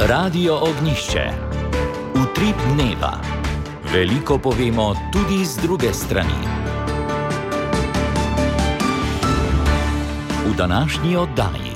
Radio Ognjišče. Utrip dneva. Veliko povemo tudi z druge strani. V današnji oddaji.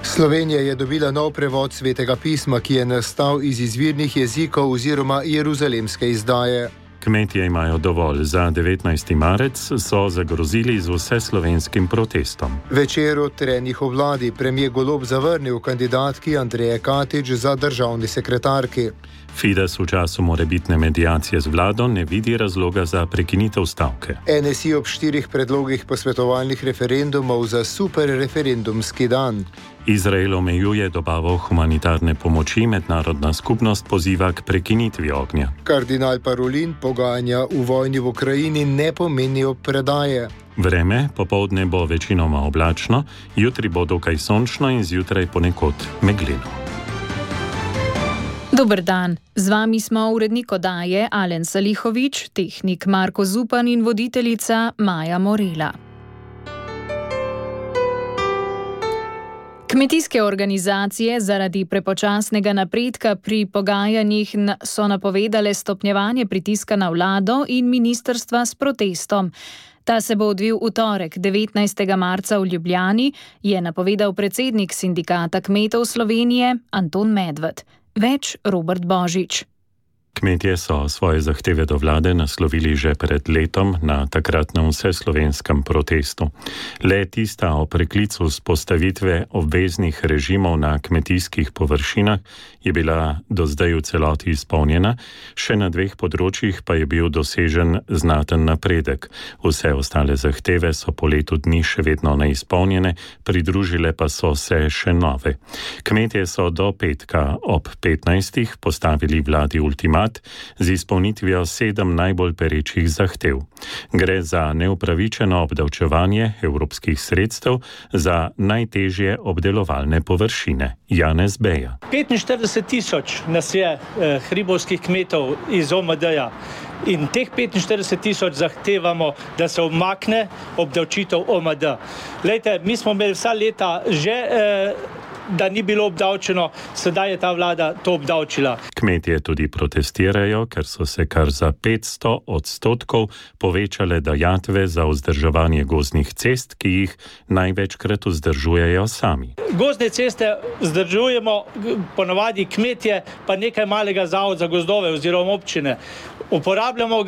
Slovenija je dobila nov prevod Svetega pisma, ki je nastal iz izvirnih jezikov oziroma jeruzalemske izdaje. Kmetje imajo dovolj. Za 19. marec so zagrozili z vseslovenskim protestom. Večer o trenjih v vladi premijer Golob zavrnil kandidatki Andreje Katič za državni sekretarki. Fides v času morebitne mediacije z vlado ne vidi razloga za prekinitev stavke. NSI ob 4 predlogih posvetovalnih referendumov za super referendumski dan. Izrael omejuje dobavo humanitarne pomoči, mednarodna skupnost poziva k prekinitvi ognja. Kardinal Parolin pogajanja v vojni v Ukrajini ne pomenijo predaje. Vreme popoldne bo večinoma oblačno, jutri bo dokaj sončno in zjutraj ponekod megleno. Dober dan, z vami smo urednik oddaje Alen Salihovič, tehnik Marko Zupan in voditeljica Maja Morela. Kmetijske organizacije zaradi prepočasnega napredka pri pogajanjih so napovedale stopnjevanje pritiska na vlado in ministrstva s protestom. Ta se bo odvil v torek, 19. marca v Ljubljani, je napovedal predsednik Sindikata kmetov Slovenije Anton Medved. Več Robert Božič. Kmetje so svoje zahteve do vlade naslovili že pred letom na takratnem vseslovenskem protestu. Le tista o preklicu vzpostavitve obveznih režimov na kmetijskih površinah je bila do zdaj v celoti izpolnjena, še na 2 področjih pa je bil dosežen znaten napredek. Vse ostale zahteve so po letu dni še vedno neizpolnjene, pridružile pa so se še nove. Kmetje so do petka ob 15. postavili vladi ultimat z izpolnitvijo 7 najbolj perečih zahtev. Gre za neupravičeno obdavčevanje evropskih sredstev za najtežje obdelovalne površine. Janez Beja. 45.000 nas je hribovskih kmetov iz OMD-ja in teh 45.000 zahtevamo, da se umakne obdavčitev OMD. Glejte, mi smo imeli vsa leta že da ni bilo obdavčeno, sedaj je ta vlada to obdavčila. Kmetje tudi protestirajo, ker so se kar za 500% povečale dajatve za vzdrževanje gozdnih cest, ki jih največkrat vzdržujejo sami. Gozdne ceste vzdržujemo ponavadi kmetje, pa nekaj malega zavod za gozdove oziroma občine. Uporabljamo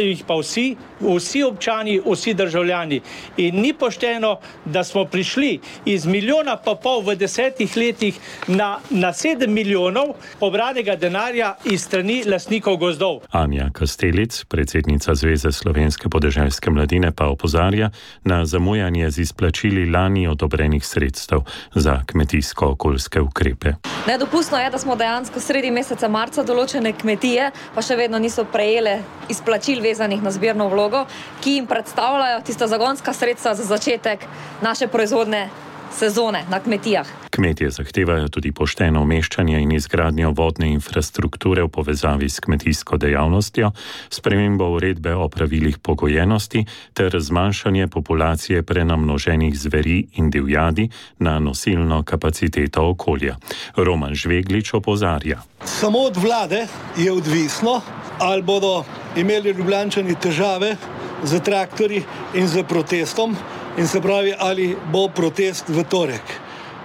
jih pa vsi občani, vsi državljani. In ni pošteno, da smo prišli iz 1,5 milijona v 10 letih na 7 milijonov pobranega denarja iz strani lastnikov gozdov. Anja Kastelic, predsednica Zveze slovenske podeželske mladine, pa opozarja na zamujanje z izplačili lani odobrenih sredstev za kmetijsko-okoljske ukrepe. Nedopustno je, da smo dejansko sredi meseca marca določene kmetije, pa še vedno niso prejele izplačil vezanih na zbirno vlogo, ki jim predstavljajo tista zagonska sredstva za začetek naše proizvodne sezone na kmetijah. Kmetje zahtevajo tudi pošteno umeščanje in izgradnjo vodne infrastrukture v povezavi s kmetijsko dejavnostjo, spremembo uredbe o pravilih pogojenosti ter zmanjšanje populacije prenamnoženih zveri in divjadi na nosilno kapaciteto okolja. Roman Žveglič opozarja. Samo od vlade je odvisno, ali bodo imeli Ljubljančani težave z traktorji in z protestom, in se pravi, ali bo protest v torek.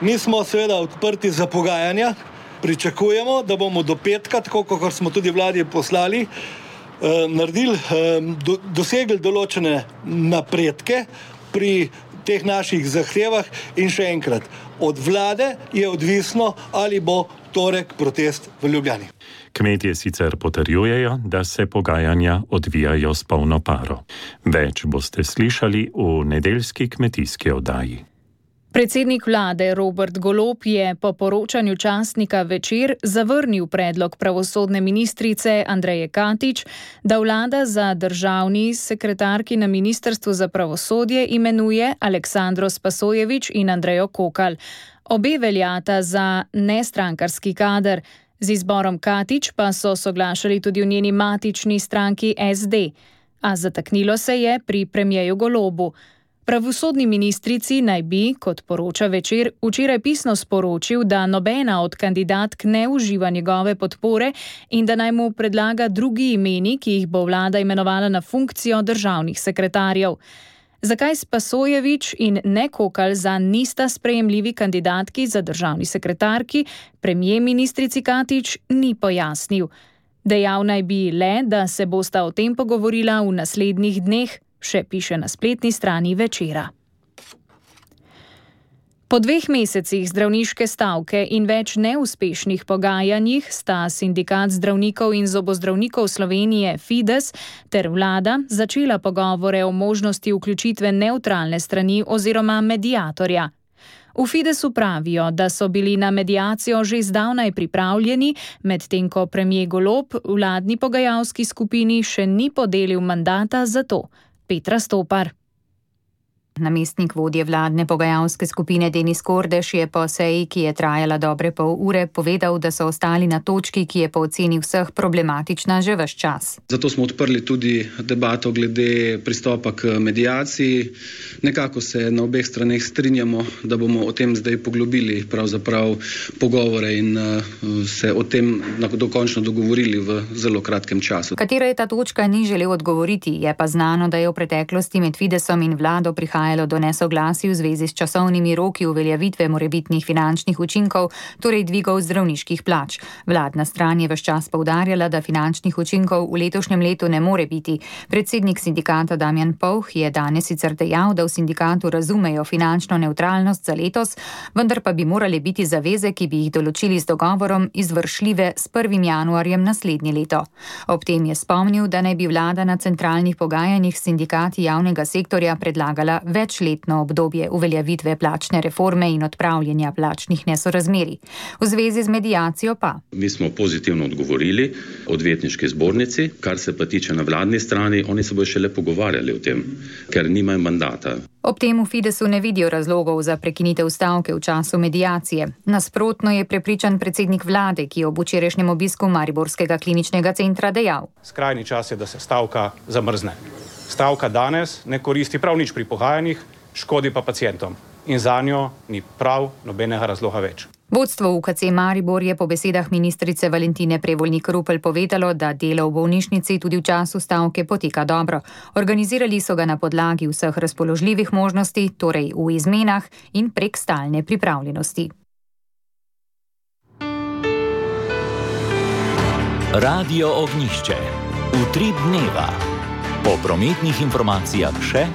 Mi smo seveda odprti za pogajanja, pričakujemo, da bomo do petka, tako kot smo tudi vladi poslali, dosegli določene napredke pri teh naših zahtevah in še enkrat, od vlade je odvisno, ali bo torek protest v Ljubljani. Kmetje sicer potrjujejo, da se pogajanja odvijajo s polno paro. Več boste slišali v nedeljski kmetijski oddaji. Predsednik vlade Robert Golob je po poročanju časnika Večer zavrnil predlog pravosodne ministrice Andreje Katič, da vlada za državni sekretarki na Ministrstvu za pravosodje imenuje Aleksandro Spasojevič in Andrejo Kokal. Obe veljata za nestrankarski kader. Z izborom Katič pa so soglašali tudi v njeni matični stranki SD. A zataknilo se je pri premierju Golobu. Pravosodni ministrici naj bi, kot poroča Večer, včeraj pisno sporočil, da nobena od kandidatk ne uživa njegove podpore in da naj mu predlaga drugi imeni, ki jih bo vlada imenovala na funkcijo državnih sekretarjev. Zakaj Spasojević in ne Kokalj zanj nista sprejemljivi kandidatki za državni sekretarki, premier ministrici Katič ni pojasnil. Dejal naj bi le, da se bosta o tem pogovorila v naslednjih dneh, še piše na spletni strani Večera. Po 2 mesecih zdravniške stavke in več neuspešnih pogajanjih sta Sindikat zdravnikov in zobozdravnikov Slovenije Fides ter vlada začela pogovore o možnosti vključitve nevtralne strani oziroma mediatorja. V Fidesu pravijo, da so bili na mediacijo že zdavnaj pripravljeni, medtem ko premier Golob vladni pogajalski skupini še ni podelil mandata za to. Petra Stopar. Namestnik vodje vladne pogajalske skupine Denis Kordež je po seji, ki je trajala dobre pol ure, povedal, da so ostali na točki, ki je po oceni vseh problematična že ves čas. Zato smo odprli tudi debato glede pristopa k mediaciji. Nekako se na obeh straneh strinjamo, da bomo o tem zdaj poglobili pravzaprav pogovore in se o tem dokončno dogovorili v zelo kratkem času. Katera je ta točka, ni želel odgovoriti, je pa znano, da je v preteklosti med Fidesom in vlado prihajalo do nesoglasij v zvezi s časovnimi roki uveljavitve morebitnih finančnih učinkov, torej dvigov zdravniških plač. Vladna stran je ves čas poudarjala, da finančnih učinkov v letošnjem letu ne more biti. Predsednik sindikata Damjan Povh je danes sicer dejal, da v sindikatu razumejo finančno nevtralnost za letos, vendar pa bi morale biti zaveze, ki bi jih določili z dogovorom, izvršljive s 1. januarjem naslednje leto. Ob tem je spomnil, da naj bi vlada na centralnih pogajanjih s sindikati javnega sektorja predlagala večletno obdobje uveljavitve plačne reforme in odpravljanja plačnih nesorazmerij. V zvezi z mediacijo pa. Mi smo pozitivno odgovorili odvetniški zbornici, kar se pa tiče na vladni strani, oni se bodo šele pogovarjali o tem, ker nimajo mandata. Ob tem v Fidesu ne vidijo razlogov za prekinitev stavke v času mediacije. Nasprotno je prepričan predsednik vlade, ki je ob včerajšnjem obisku Mariborskega kliničnega centra dejal. Skrajni čas je, da se stavka zamrzne. Stavka danes ne koristi prav nič pri pogajanjih, škodi pa pacientom. In zanjo ni prav nobenega razloga več. Vodstvo UKC Maribor je po besedah ministrice Valentine Prevolnik Rupel povedalo, da delo v bolnišnici tudi v času stavke poteka dobro. Organizirali so ga na podlagi vseh razpoložljivih možnosti, torej v izmenah in prek stalne pripravljenosti. Radio Ognjišče. Utrip dneva. Po prometnih informacijah še.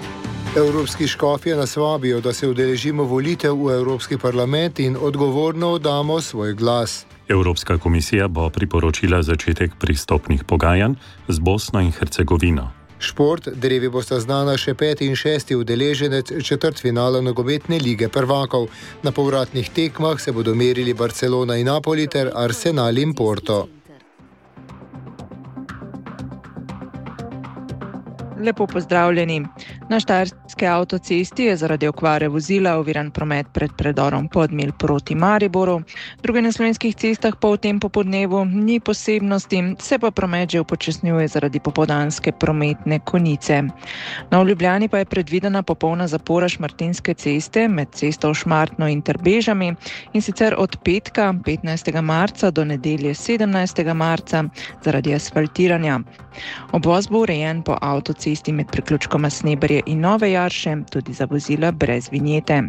Evropski škofje nas vabijo, da se udeležimo volitev v Evropski parlament in odgovorno oddamo svoj glas. Evropska komisija bo priporočila začetek pristopnih pogajanj z Bosno in Hercegovino. Šport, drevi bosta znana še 5. in 6. udeleženec četrtfinala nogometne lige prvakov. Na povratnih tekmah se bodo merili Barcelona in Napoli ter Arsenal in Porto. Lepo pozdravljeni. Na Štajerski avtocesti je zaradi okvare vozila oviran promet pred predorom Podmilj proti Mariboru. Druge na slovenskih cestah pa v tem popodnevu ni posebnosti, se pa promet že upočasnjuje zaradi popoldanske prometne konice. Na Ljubljani pa je predvidena popolna zapora Šmartinske ceste med cesto Šmartno in Trbežami in sicer od petka 15. marca do nedelje 17. marca zaradi asfaltiranja. Obvoz bo urejen po avtocesti med priključkoma Sneberje in Nove Jarše, tudi za vozila brez vinjete.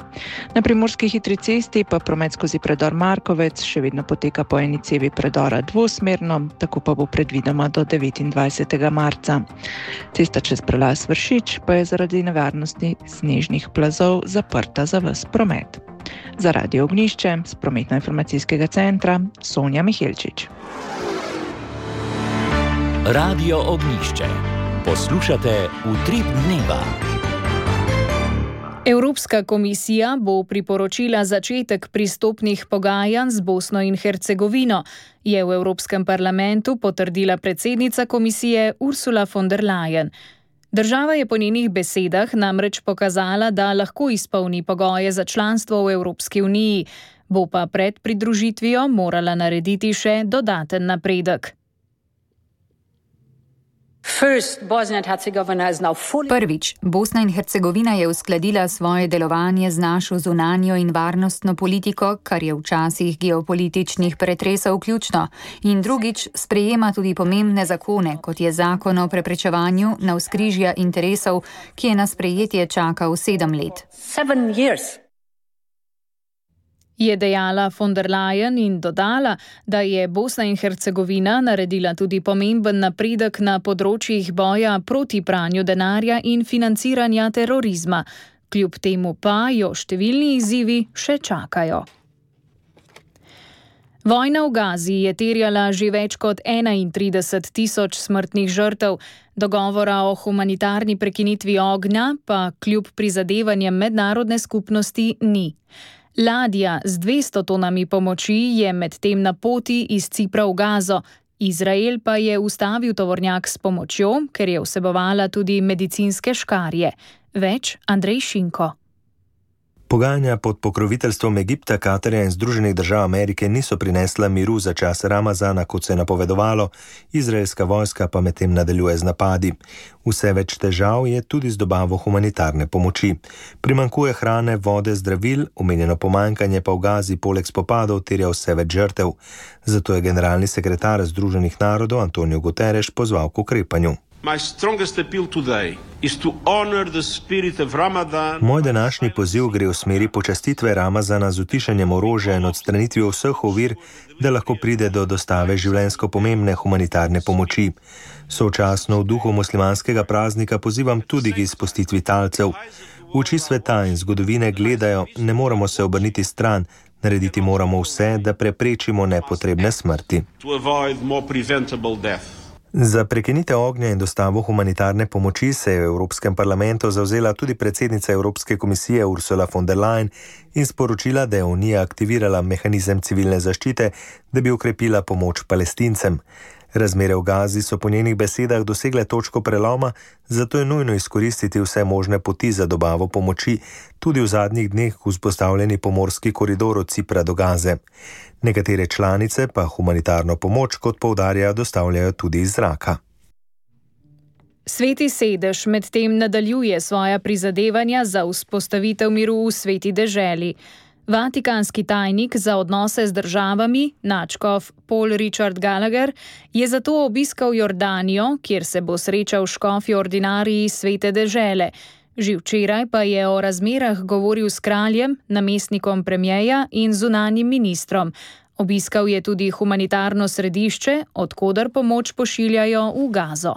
Na primorski hitri cesti pa promet skozi predor Markovec še vedno poteka po eni cevi predora dvosmerno, tako pa bo predvidoma do 29. marca. Cesta čez prelaz Vršič pa je zaradi nevarnosti snežnih plazov zaprta za ves promet. Za Radio Ognjišče z prometno-informacijskega centra Sonja Mihelčič. Radio Ognjišče. Poslušate Utrip dneva. Evropska komisija bo priporočila začetek pristopnih pogajanj z Bosno in Hercegovino, je v Evropskem parlamentu potrdila predsednica komisije Ursula von der Leyen. Država je po njenih besedah namreč pokazala, da lahko izpolni pogoje za članstvo v Evropski uniji, bo pa pred pridružitvijo morala narediti še dodaten napredek. Prvič, Bosna in Hercegovina je uskladila svoje delovanje z našo zunanjo in varnostno politiko, kar je včasih geopolitičnih pretresov ključno. In drugič, sprejema tudi pomembne zakone, kot je zakon o preprečevanju navzkrižja interesov, ki je na sprejetje čakal 7 let. Je dejala von der Leyen in dodala, da je Bosna in Hercegovina naredila tudi pomemben napredek na področjih boja proti pranju denarja in financiranja terorizma. Kljub temu pa jo številni izzivi še čakajo. Vojna v Gazi je terjala že več kot 31.000 smrtnih žrtev. Dogovora o humanitarni prekinitvi ognja pa kljub prizadevanjem mednarodne skupnosti ni. Ladja z 200 tonami pomoči je medtem na poti iz Cipra v Gazo. Izrael pa je ustavil tovornjak s pomočjo, ker je vsebovala tudi medicinske škarje. Več Andrej Šinko. Pogajanja pod pokroviteljstvom Egipta, Katarja in Združenih držav Amerike niso prinesla miru za čas Ramazana, kot se je napovedovalo, izraelska vojska pa medtem nadaljuje z napadi. Vse več težav je tudi z dobavo humanitarne pomoči. Primanjkuje hrane, vode, zdravil, omenjeno pomanjkanje pa v Gazi poleg spopadov terja vse več žrtev. Zato je generalni sekretar Združenih narodov Antonio Guterres pozval k ukrepanju. Moj današnji poziv gre v smeri počastitve Ramazana z utišanjem orožja in odstranitvijo vseh ovir, da lahko pride do dostave življenjsko pomembne humanitarne pomoči. Sočasno v duhu muslimanskega praznika pozivam tudi k izpustitvi talcev. Oči sveta in zgodovine gledajo, ne moramo se obrniti stran, narediti moramo vse, da preprečimo nepotrebne smrti. Za prekinitev ognja in dostavo humanitarne pomoči se je v Evropskem parlamentu zavzela tudi predsednica Evropske komisije Ursula von der Leyen in sporočila, da je Unija aktivirala mehanizem civilne zaščite, da bi okrepila pomoč Palestincem. Razmere v Gazi so po njenih besedah dosegle točko preloma, zato je nujno izkoristiti vse možne poti za dobavo pomoči, tudi v zadnjih dneh vzpostavljeni pomorski koridor od Cipra do Gaze. Nekatere članice pa humanitarno pomoč, kot poudarjajo, dostavljajo tudi iz zraka. Sveti sedež medtem nadaljuje svoja prizadevanja za vzpostavitev miru v sveti deželi. Vatikanski tajnik za odnose z državami, nadškof Paul Richard Gallagher, je zato obiskal Jordanijo, kjer se bo srečal škofi ordinariji svete dežele. Že včeraj pa je o razmerah govoril s kraljem, namestnikom premierja in zunanjim ministrom. Obiskal je tudi humanitarno središče, od koder pomoč pošiljajo v Gazo.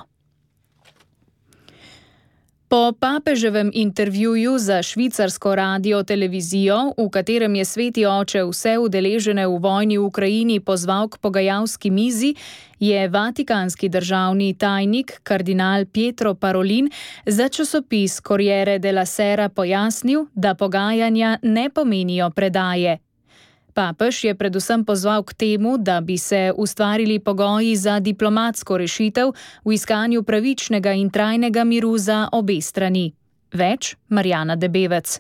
Po papeževem intervjuju za švicarsko radio-televizijo, v katerem je sveti oče vse udeležene v vojni v Ukrajini pozval k pogajalski mizi, je vatikanski državni tajnik kardinal Pietro Parolin za časopis Corriere della Sera pojasnil, da pogajanja ne pomenijo predaje. Papež je predvsem pozval k temu, da bi se ustvarili pogoji za diplomatsko rešitev v iskanju pravičnega in trajnega miru za obe strani. Več Marjana Debevec.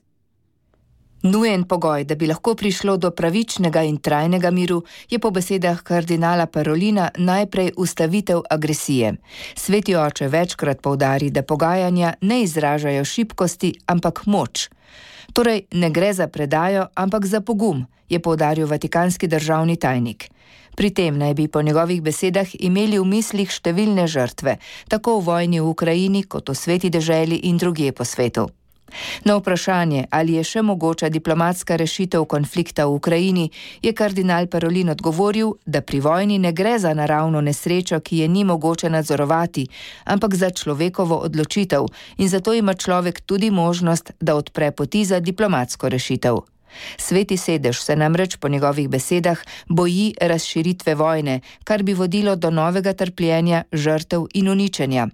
Nujen pogoj, da bi lahko prišlo do pravičnega in trajnega miru, je po besedah kardinala Parolina najprej ustavitev agresije. Sveti oče večkrat poudari, da pogajanja ne izražajo šibkosti, ampak moč. Torej ne gre za predajo, ampak za pogum, je poudaril vatikanski državni tajnik. Pri tem naj bi po njegovih besedah imeli v mislih številne žrtve, tako v vojni v Ukrajini kot v sveti deželi in drugje po svetu. Na vprašanje, ali je še mogoča diplomatska rešitev konflikta v Ukrajini, je kardinal Parolin odgovoril, da pri vojni ne gre za naravno nesrečo, ki je ni mogoče nadzorovati, ampak za človekovo odločitev in zato ima človek tudi možnost, da odpre poti za diplomatsko rešitev. Sveti sedež se namreč po njegovih besedah boji razširitve vojne, kar bi vodilo do novega trpljenja, žrtev in uničenja.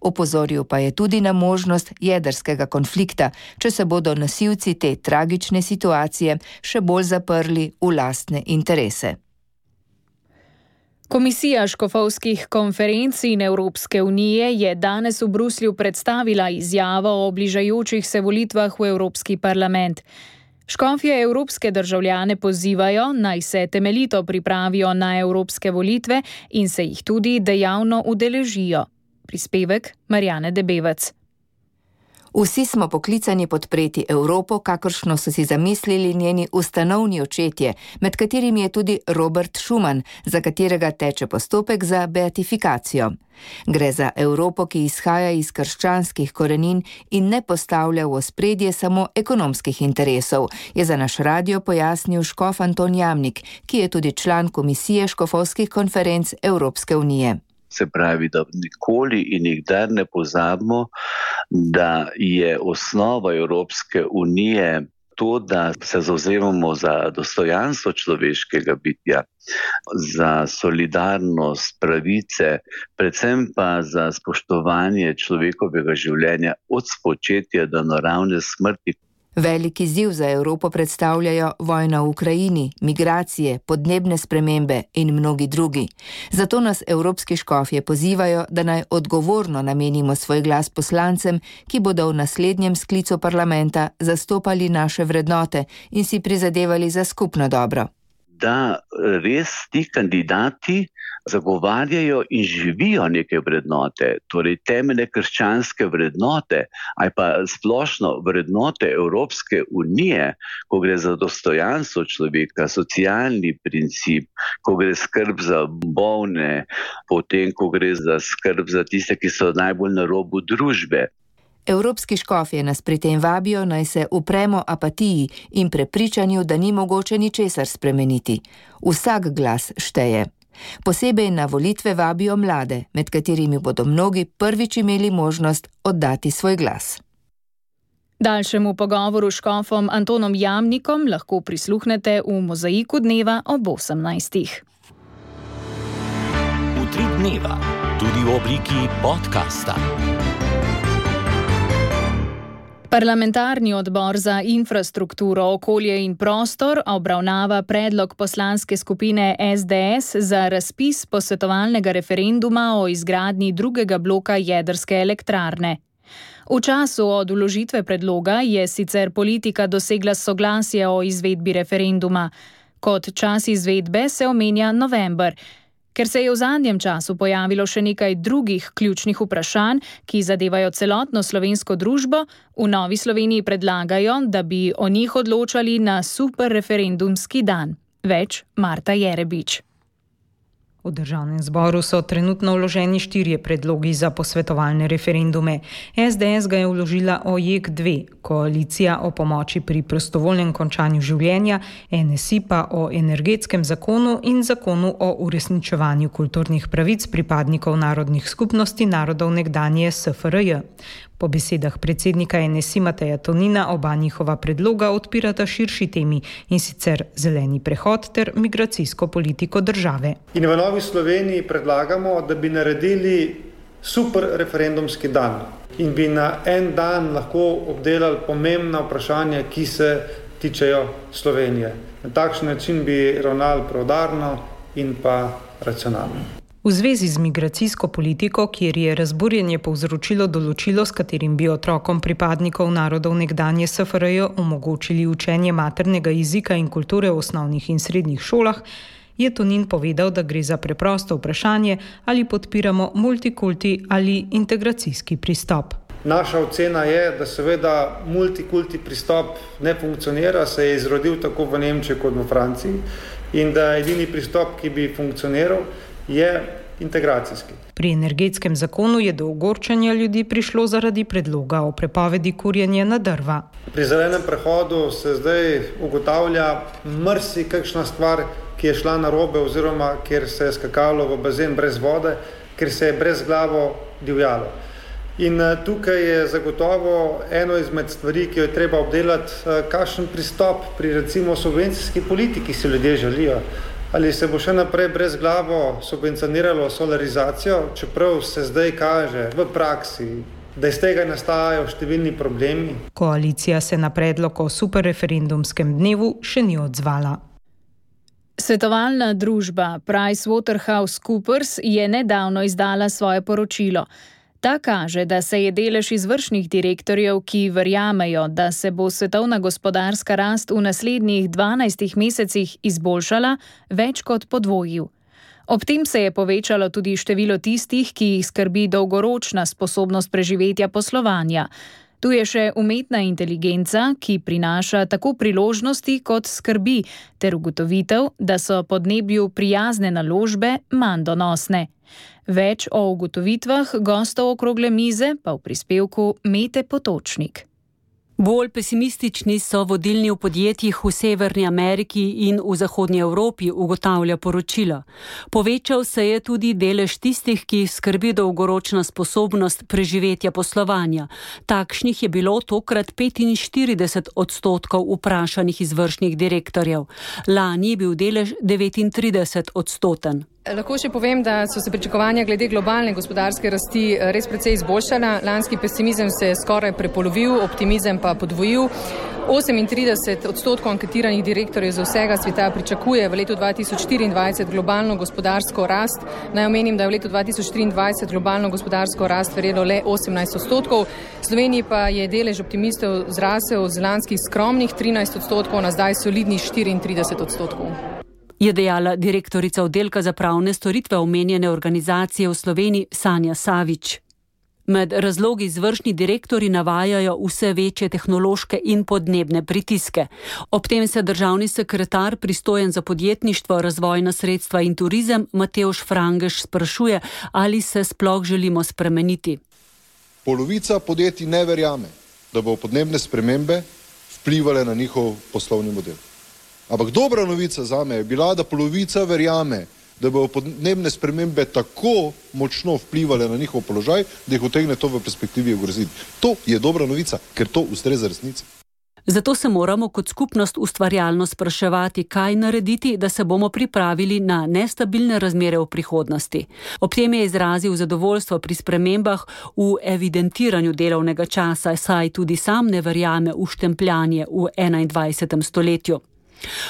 Opozoril pa je tudi na možnost jedrskega konflikta, če se bodo nosilci te tragične situacije še bolj zaprli v lastne interese. Komisija škofovskih konferenc in Evropske unije je danes v Bruslju predstavila izjavo o bližajočih se volitvah v Evropski parlament. Škofje evropske državljane pozivajo, naj se temeljito pripravijo na evropske volitve in se jih tudi dejavno udeležijo. Prispevek Marjane Debevec. Vsi smo poklicani podpreti Evropo, kakršno so si zamislili njeni ustanovni očetje, med katerimi je tudi Robert Schuman, za katerega teče postopek za beatifikacijo. Gre za Evropo, ki izhaja iz krščanskih korenin in ne postavlja v ospredje samo ekonomskih interesov, je za naš radio pojasnil škof Anton Jamnik, ki je tudi član Komisije škofovskih konferenc Evropske unije. Se pravi, da nikoli in nikdar ne pozabimo, da je osnova Evropske unije to, da se zavzemamo za dostojanstvo človeškega bitja, za solidarnost, pravice, predvsem pa za spoštovanje človekovega življenja od spočetja do naravne smrti. Velik izziv za Evropo predstavljajo vojna v Ukrajini, migracije, podnebne spremembe in mnogi drugi. Zato nas evropski škofje pozivajo, da naj odgovorno namenimo svoj glas poslancem, ki bodo v naslednjem sklicu parlamenta zastopali naše vrednote in si prizadevali za skupno dobro. Da res ti kandidati zagovarjajo in živijo neke vrednote, torej temeljne krščanske vrednote, ali pa splošno vrednote Evropske unije, ko gre za dostojanstvo človeka, socialni princip, ko gre skrb za bolne, potem ko gre za skrb za tiste, ki so najbolj na robu družbe. Evropski škofje nas pri tem vabijo, naj se upremo apatiji in prepričanju, da ni mogoče ničesar spremeniti. Vsak glas šteje. Posebej na volitve vabijo mlade, med katerimi bodo mnogi prvič imeli možnost oddati svoj glas. Daljšemu pogovoru s škofom Antonom Jamnikom lahko prisluhnete v Mozaiku dneva ob 18. Utrip dneva, tudi v obliki podcasta. Parlamentarni odbor za infrastrukturo, okolje in prostor obravnava predlog poslanske skupine SDS za razpis posvetovalnega referenduma o izgradnji drugega bloka jedrske elektrarne. V času od vložitve predloga je sicer politika dosegla soglasje o izvedbi referenduma. Kot čas izvedbe se omenja november. Ker se je v zadnjem času pojavilo še nekaj drugih ključnih vprašanj, ki zadevajo celotno slovensko družbo, v Novi Sloveniji predlagajo, da bi o njih odločali na superreferendumski dan. Več Marta Jerebič. V Državnem zboru so trenutno vloženi 4 predlogi za posvetovalne referendume. SDS ga je vložila o JEK2, koalicija o pomoči pri prostovoljnem končanju življenja, NSI pa o energetskem zakonu in zakonu o uresničevanju kulturnih pravic pripadnikov narodnih skupnosti narodov nekdanje SFRJ. Po besedah predsednika NSI Mateja Tonina oba njihova predloga odpirata širši temi, in sicer zeleni prehod ter migracijsko politiko države. In v Novi Sloveniji predlagamo, da bi naredili super referendumski dan in bi na en dan lahko obdelali pomembna vprašanja, ki se tičejo Slovenije. Na takšen način bi ravnali preudarno in pa racionalno. V zvezi z migracijsko politiko, kjer je razburjenje povzročilo določilo, s katerim bi otrokom pripadnikov narodov nekdanje SFRJ omogočili učenje maternega jezika in kulture v osnovnih in srednjih šolah, je Tonin povedal, da gre za preprosto vprašanje, ali podpiramo multikulti ali integracijski pristop. Naša ocena je, da seveda multikulti pristop ne funkcionira, se je izrodil tako v Nemčiji kot v Franciji in da edini pristop, ki bi funkcioniral, je integracijski. Pri energetskem zakonu je do ogorčanja ljudi prišlo zaradi predloga o prepovedi kurjenja na drva. Pri zelenem prehodu se zdaj ugotavlja marsikakšna stvar, ki je šla narobe oziroma kjer se je skakalo v bazen brez vode, ker se je brezglavo divjalo. In tukaj je zagotovo eno izmed stvari, ki jo je treba obdelati, kakšen pristop pri recimo subvencijski politiki si ljudje želijo. Ali se bo še naprej brezglavo subvencioniralo solarizacijo, čeprav se zdaj kaže v praksi, da iz tega nastajajo številni problemi. Koalicija se na predlog o superreferendumskem dnevu še ni odzvala. Svetovalna družba PricewaterhouseCoopers je nedavno izdala svoje poročilo. Ta kaže, da se je delež izvršnih direktorjev, ki verjamejo, da se bo svetovna gospodarska rast v naslednjih 12 mesecih izboljšala, več kot podvojil. Ob tem se je povečalo tudi število tistih, ki jih skrbi dolgoročna sposobnost preživetja poslovanja. Tu je še umetna inteligenca, ki prinaša tako priložnosti kot skrbi, ter ugotovitev, da so podnebju prijazne naložbe manj donosne. Več o ugotovitvah gostov okrogle mize pa v prispevku Mete Potočnik. Bolj pesimistični so vodilni v podjetjih v Severni Ameriki in v Zahodnji Evropi, ugotavlja poročilo. Povečal se je tudi delež tistih, ki skrbi dolgoročna sposobnost preživetja poslovanja. Takšnih je bilo tokrat 45% vprašanih izvršnih direktorjev. Lani je bil delež 39%. Lahko še povem, da so se pričakovanja glede globalne gospodarske rasti res precej izboljšala. Lanski pesimizem se je skoraj prepolovil, optimizem pa podvojil. 38% anketiranih direktorjev iz vsega sveta pričakuje v letu 2024 globalno gospodarsko rast. Naj omenim, da je v letu 2023 globalno gospodarsko rast verjelo le 18%. V Sloveniji pa je delež optimistov zrasel z lanskih skromnih 13% na zdaj solidnih 34%. Je dejala direktorica oddelka za pravne storitve omenjene organizacije v Sloveniji Sanja Savič. Med razlogi izvršni direktorji navajajo vse večje tehnološke in podnebne pritiske. Ob tem se državni sekretar, pristojen za podjetništvo, razvojna sredstva in turizem, Matevž Frangeš sprašuje, ali se sploh želimo spremeniti. Polovica podjetij ne verjame, da bo podnebne spremembe vplivale na njihov poslovni model. Ampak dobra novica zame je bila, da polovica verjame, da bodo podnebne spremembe tako močno vplivale na njihov položaj, da jih utegne to v perspektivi ogroziti. To je dobra novica, ker to ustreza resnici. Zato se moramo kot skupnost ustvarjalno spraševati, kaj narediti, da se bomo pripravili na nestabilne razmere v prihodnosti. Ob tem je izrazil zadovoljstvo pri spremembah v evidentiranju delovnega časa, saj tudi sam ne verjame v štempljanje v 21. stoletju.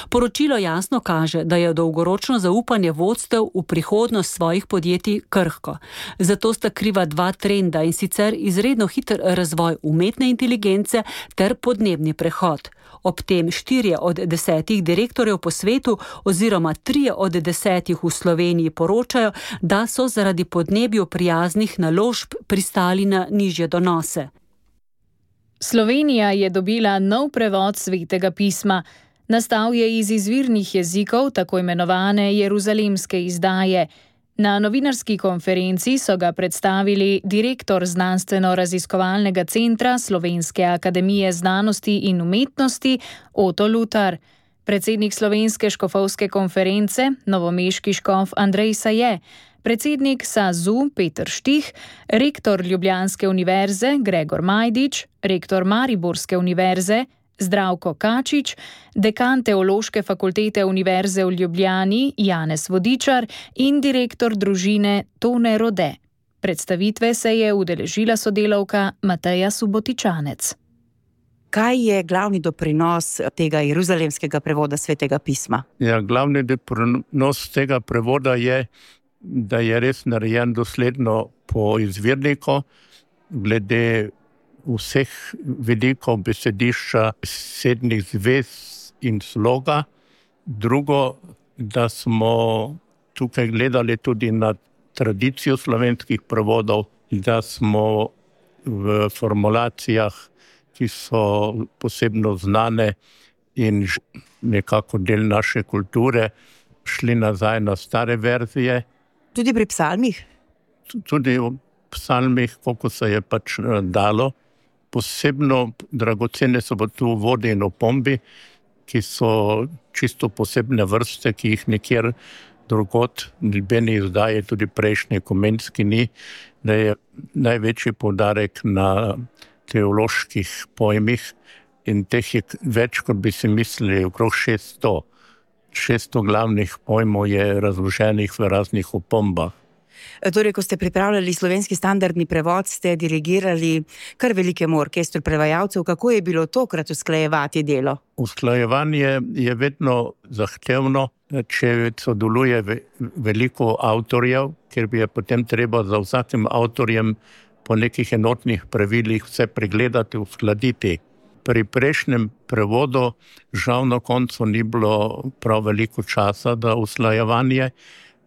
Poročilo jasno kaže, da je dolgoročno zaupanje vodstev v prihodnost svojih podjetij krhko. Zato sta kriva dva trenda, in sicer izredno hiter razvoj umetne inteligence ter podnebni prehod. Ob tem 4 od 10 direktorjev po svetu oziroma 3 od 10 v Sloveniji poročajo, da so zaradi podnebju prijaznih naložb pristali na nižje donose. Slovenija je dobila nov prevod Svetega pisma. Nastal je iz izvirnih jezikov, tako imenovane jeruzalemske izdaje. Na novinarski konferenci so ga predstavili direktor Znanstveno-raziskovalnega centra Slovenske akademije znanosti in umetnosti Oto Lutar, predsednik Slovenske škofovske konference, novomeški škof Andrej Saje, predsednik SAZU Peter Štih, rektor Ljubljanske univerze Gregor Majdič, rektor Mariborske univerze Zdravko Kačič, dekan Teološke fakultete Univerze v Ljubljani Janez Vodičar in direktor družine Tone Rode. Predstavitve se je udeležila sodelavka Mateja Subotičanec. Kaj je glavni doprinos tega jeruzalemskega prevoda Svetega pisma? Ja, glavni doprinos tega prevoda je, da je res narejen dosledno po izvirniku, glede vseh vidikov besedišča, sednih zvez in sloga. Drugo, da smo tukaj gledali tudi na tradicijo slovenskih prevodov, da smo v formulacijah, ki so posebno znane in nekako del naše kulture, šli nazaj na stare verzije. Tudi pri psalmih? Tudi v psalmih, koliko se je pač dalo. Posebno dragocene so tu vode in opombi, ki so čisto posebne vrste, ki jih nikjer drugod, nobeni izdaji, tudi prejšnji Komenski ni, da je največji poudarek na teoloških pojmih in teh je več, kot bi si mislili, okrog 600. 600 glavnih pojmov je razloženih v raznih opombah. Torej, ko ste pripravljali slovenski standardni prevod, ste dirigirali kar velikemu orkestru prevajalcev. Kako je bilo tokrat usklajevati delo? Usklajevanje je vedno zahtevno, če sodeluje veliko avtorjev, ker bi je potem treba za vsakim avtorjem po nekih enotnih pravilih vse pregledati, uskladiti. Pri prejšnjem prevodu žal na koncu ni bilo prav veliko časa za usklajevanje,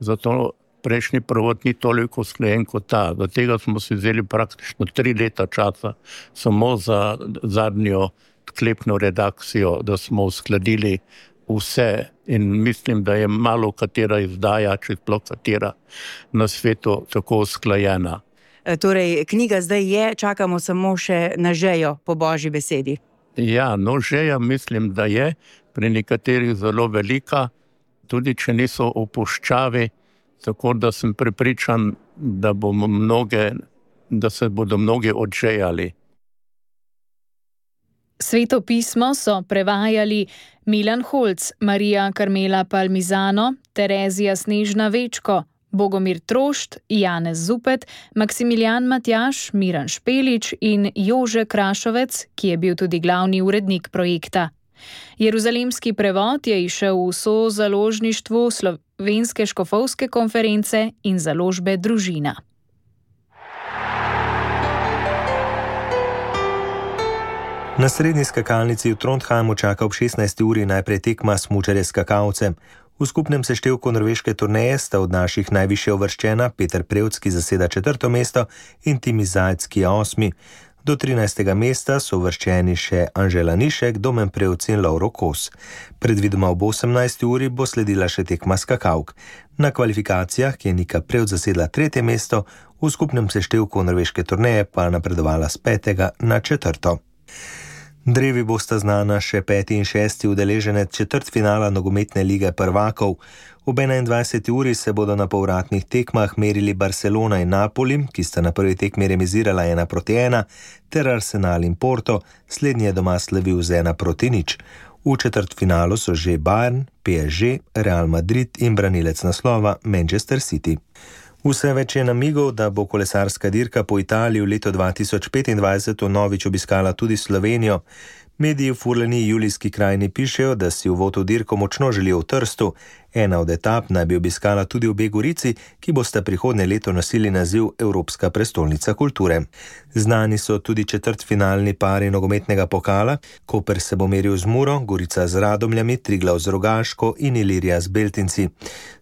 zato prejšnji prevod ni toliko usklajen kot ta. Do tega smo si vzeli praktično 3 leta časa, samo za zadnjo sklepno redakcijo, da smo uskladili vse in mislim, da je malo katera izdaja, če sploh katera na svetu tako usklajena. Torej, knjiga zdaj je, čakamo samo še na žejo po Božji besedi. Ja, no žeja mislim, da je pri nekaterih zelo velika, tudi če niso v puščavi, tako da sem prepričan, da se bodo mnogi odžejali. Sveto pismo so prevajali Milan Holc, Marija Karmela Palmizano, Terezija Snežna Večko, Bogomir Trošt, Janez Zupet, Maksimilijan Matjaž, Miran Špelič in Jože Krašovec, ki je bil tudi glavni urednik projekta. Jeruzalemski prevod je izšel v sozaložništvu Slovenske škofovske konference in založbe Družina. Na srednji skakalnici v Trondheimu čaka ob 16. uri najprej tekma smučarje skakalcev. V skupnem seštevku norveške turneje sta od naših najvišje uvrščena Peter Prevc, ki zaseda 4. mesto, in Timi Zajc, ki je 8. Do 13. mesta so uvrščeni še Anžela Nišek, Domen Prevc in Lovro Kos. Predvidoma ob 18. uri bo sledila še tekma skakalk. Na kvalifikacijah, ki je Nika Prevc zasedla 3. mesto, v skupnem seštevku norveške turneje pa napredovala z 5. na 4. Drevi bosta znana še 5. in 6. udeleženec četrtfinala nogometne lige prvakov. Ob 21. uri se bodo na povratnih tekmah merili Barcelona in Napoli, ki sta na prvi tekmi remizirala 1-1, ter Arsenal in Porto, slednji je doma slavil z 1-0. V četrtfinalu so že Bayern, PSG, Real Madrid in branilec naslova Manchester City. Vse več je namigov, da bo kolesarska dirka po Italiji v letu 2025 vnovič obiskala tudi Slovenijo. Mediji v furleni Julijski krajini pišejo, da si uvod v dirko močno želijo v Trstu. Ena od etap naj bi obiskala tudi obe Gorici, ki bosta prihodnje leto nosili naziv Evropska prestolnica kulture. Znani so tudi četrtfinalni pari nogometnega pokala. Koper se bo meril z Muro, Gorica z Radomljami, Triglav z Rogaško in Ilirija z Beltinci.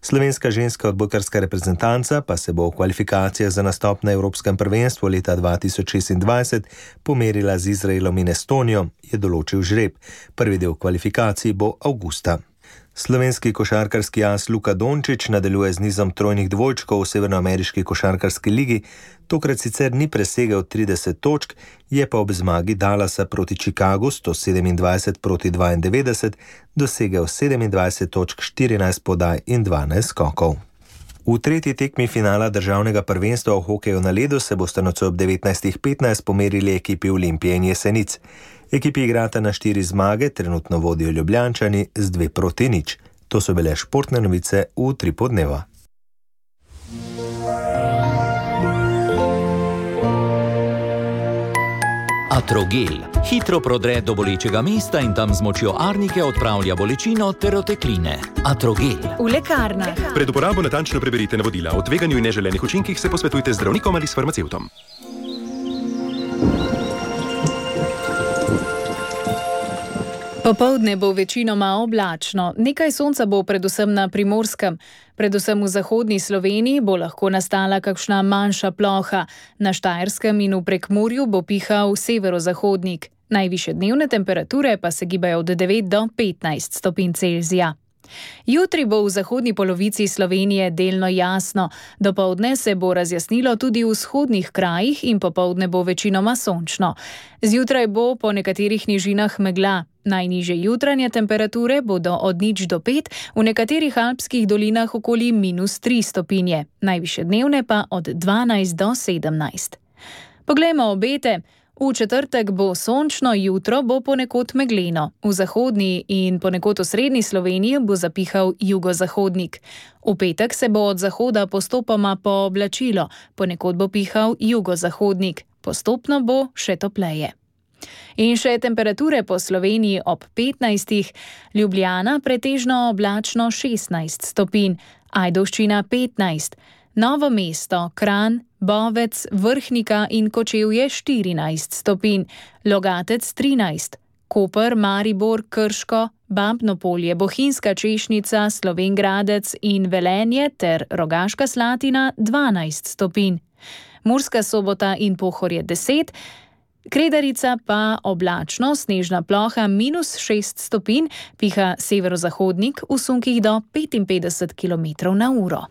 Slovenska ženska odbojkarska reprezentanca pa se bo v kvalifikacijah za nastop na Evropskem prvenstvu leta 2026 pomerila z Izraelom in Estonijo, je določil žreb. Prvi del kvalifikacij bo avgusta. Slovenski košarkarski as Luka Dončić nadaljuje z nizom trojnih dvojčkov v severnoameriški košarkarski ligi. Tokrat sicer ni presegel 30 točk, je pa ob zmagi Dallasa proti Chicagu 127-92 dosegel 27 točk, 14 podaj in 12 skokov. V tretji tekmi finala državnega prvenstva v hokeju na ledu se bosta nocoj ob 19:15 pomerili ekipi Olimpije in Jesenic. Ekipi igrata na 4 zmage, trenutno vodijo Ljubljančani z 2-0. To so bile športne novice v Utripu dneva. Atrogel hitro prodre do bolečega mesta in tam z močjo arnike odpravlja bolečino ter otekline. Atrogel. V lekarnah. Pred uporabo natančno preberite navodila. O tveganju in neželenih učinkih se posvetujte z zdravnikom ali s farmacevtom. Popoldne bo večinoma oblačno, nekaj sonca bo predvsem na Primorskem. Predvsem v zahodni Sloveniji bo lahko nastala kakšna manjša ploha. Na Štajerskem in v Prekmurju bo pihal severozahodnik. Najvišje dnevne temperature pa se gibajo od 9 do 15 stopinj Celzija. Jutri bo v zahodni polovici Slovenije delno jasno. Dopoldne se bo razjasnilo tudi v vzhodnih krajih in popoldne bo večinoma sončno. Zjutraj bo po nekaterih nižinah megla. Najnižje jutranje temperature bodo od 0 do 5, v nekaterih alpskih dolinah okoli -3 stopinje, najvišje dnevne pa od 12 do 17. Poglejmo obete. V četrtek bo sončno, jutro bo ponekod megleno. V zahodni in ponekod v srednji Sloveniji bo zapihal jugozahodnik. V petek se bo od zahoda postopoma pooblačilo, ponekod bo pihal jugozahodnik. Postopno bo še topleje. In še temperature po Sloveniji ob 15, Ljubljana pretežno oblačno 16 stopinj, Ajdovščina 15, Novo mesto, Kranj, Bovec, Vrhnika in Kočevje 14 stopinj, Logatec 13, Koper, Maribor, Krško, Babno Polje, Bohinjska Češnica, Slovenj Gradec in Velenje ter Rogaška Slatina 12 stopinj. Murska Sobota in Pohorje 10, Kredarica pa oblačno, snežna ploha -6 stopinj, piha severozahodnik v sunkih do 55 km/h.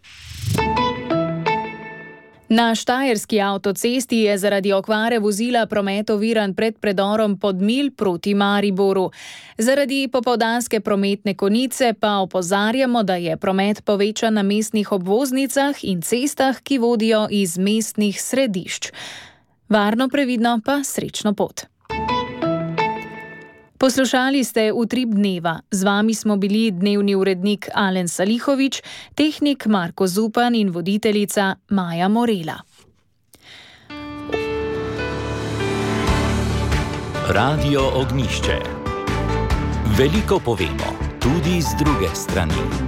Na štajerski avtocesti je zaradi okvare vozila promet oviran pred predorom Podmilj proti Mariboru. Zaradi popoldanske prometne konice pa opozarjamo, da je promet povečan na mestnih obvoznicah in cestah, ki vodijo iz mestnih središč. Varno, previdno pa srečno pot. Poslušali ste Utrip dneva. Z vami smo bili dnevni urednik Alen Salihovič, tehnik Marko Zupan in voditeljica Maja Morela. Radio Ognjišče. Veliko povemo, tudi z druge strani.